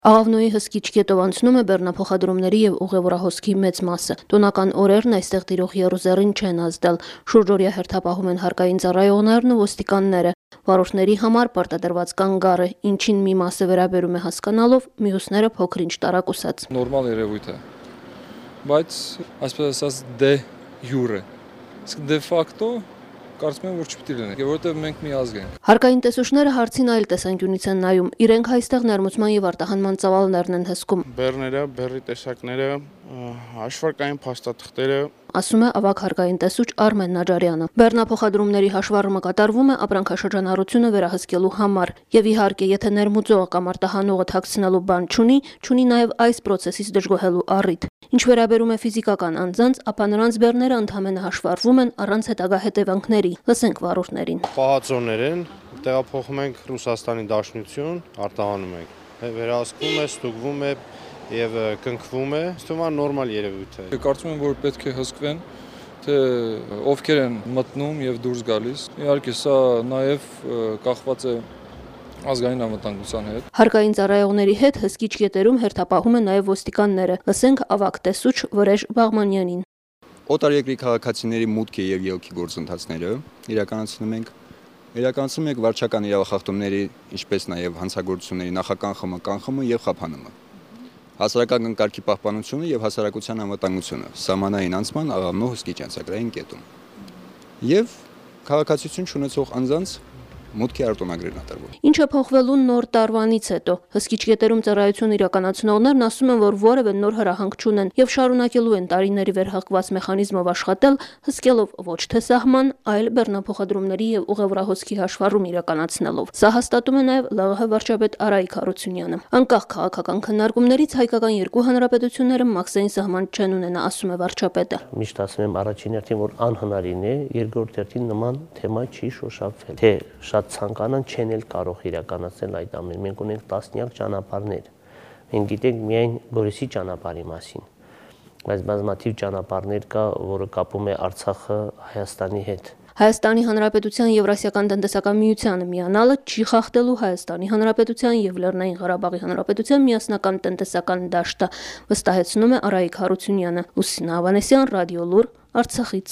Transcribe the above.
Աղավնոյի հսկիչ կետով անցնում է բեռնափոխադրումների եւ ուղևորահոսքի մեծ մասը։ Տոնական օրերն այստեղ տիրող եռուզեռին չեն ազդել։ Շուրջօրյա հերթապահում են հարկային ծառայողներն ու ոստիկանները։ Վարորդների համար պարտադրված կան գարը, ինչին մի մասը վերաբերում է հասկանալով, մյուսները փոքր-ինչ տարակուսած։ Նորմալ երևույթ է, բայց այսպես ասած դե յուրե։ Իսկ դե ֆակտո կարծում եմ, որ չպետք է լինի, որովհետև մենք մի ազգ ենք։ Հարկային տեսուչները հարցին այլ տեսանկյունից են նայում։ Իրենք այստեղ ներմուծման եւ արտահանման ծավալներն են հսկում։ Բեռները, բեռի տեսակները, հաշվարկային փաստաթղթերը, ասում է ավագ հարկային տեսուչ Արմեն Նաջարյանը։ Բեռնափոխադրումների հաշվառումը կատարվում է ապրանքաշրջանառությունը վերահսկելու համար։ Եվ իհարկե, եթե ներմուծողը կամ արտահանողը թաքցնելու բան չունի նաև այս process-ից դժգոհելու առիթ։ Ինչ վերաբերում է ֆիզիկական անձանց, ապա նրանց բեռները ընդհանրապես հաշվառվում են առանց հետագա հետևանքների։ Լսենք վարորդներին։ Պահածոներ են, տեղափոխում ենք Ռուսաստանի Դաշնություն, արտահանում ենք։ Վերահսկվում է, ստուգվում է եւ կնքվում է, ըստ նորմալ երևույթ է։ Կարծում եմ, որ պետք է հսկվեն, թե ովքեր են մտնում եւ դուրս գալիս։ Իհարկե, սա նաեւ կախված է ազգային անվտանգության հետ։ Հարկային ծառայողների հետ հսկիչ կետերում հերթապահում են նաեւ ոստիկանները։ Լսենք ավագ տեսուչ Վրեժ Բաղմանյանին։ Օտարերկրի քաղաքացիների մուտքի եւ ելքի գործընթացները իրականացնում ենք վարչական իրավախախտումների, ինչպես նաեւ հանցագործությունների նախականխումը, կանխումը եւ խափանումը։ Հասարակական կարգի պահպանությունը եւ հասարակության անվտանգությունը սահմանային անցման աղավնո հսկիչ անցագրային կետում։ Եվ քաղաքացիություն չունեցող անձանց մուտքի արտոնագրերն արտադրվում։ Ինչը փոխվելու նոր տարվանից հետո հսկիչ կետերում ծառայություն իրականացնողներն ասում են, որ որևէ նոր հրահանգ չունեն եւ շարունակելու են տարիների վերհղկված մեխանիզմով աշխատել, հսկելով ոչ թե սահման, այլ բեռնափոխադրումների եւ ուղևորահոսքի հաշվառում իրականացնելով։ Սա հաստատում է նաեւ ԼՂՀ վարչապետ Արայիկ Հարությունյանը։ Անկախ քաղաքական քննարկումներից հայկական երկու հանրապետությունները մաքսային սահման չեն ունենա, ասում է վարչապետը։ Միշտ ասում եմ առաջին հերթին, որ անհնարին է, երկրորդ հերթին նման թեմա չի շոշափվել։ Թե շատ ցանկանան չեն էլ կարող իրականացնել այդ ամենը։ Մենք ունենք տասնյակ ճանապարհներ։ Մենք գիտենք միայն Գորիսի ճանապարհի մասին, բայց բազմաթիվ ճանապարհներ կա, որը կապում է Արցախը Հայաստանի հետ։ Հայաստանի Հանրապետության Եվրասիական տնտեսական միությանը միանալը չի խախտելու Հայաստանի Հանրապետության եւ Լեռնային Ղարաբաղի Հանրապետության միասնական տնտեսական դաշտը, վստահեցնում է Արայիկ Հարությունյանը։ Լուսինե Ավանեսյան, Ռադիոլուր, Արցախից։